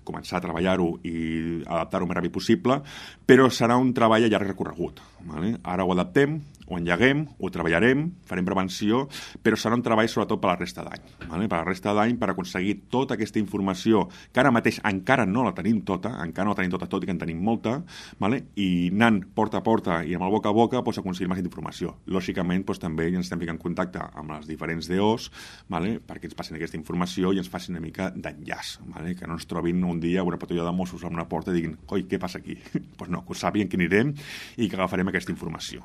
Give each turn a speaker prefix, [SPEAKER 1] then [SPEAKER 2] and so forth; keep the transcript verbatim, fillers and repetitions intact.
[SPEAKER 1] començar a treballar-ho i adaptar-ho el més ràpid possible, però serà un treball a llarg recorregut. Vale? Ara ho adaptem, ho engeguem, ho treballarem, farem prevenció, però serà un treball sobretot per la resta d'any. Vale? Per la resta d'any, per aconseguir tota aquesta informació, que ara mateix encara no la tenim tota, encara no la tenim tota, tot i que en tenim molta, vale? I anant porta a porta i amb el boca a boca doncs, aconseguir més informació. Lògicament, doncs, també ens estem ficant en contacte amb les diferents D Os, vale? Perquè ens passin aquesta informació i ens facin una mica d'enllaç, vale? Que no ens trobin un dia una patrulla de Mossos a una porta i diguin, oi, què passa aquí? Doncs pues no, que ho sàpiguen que anirem i que agafarem aquesta informació.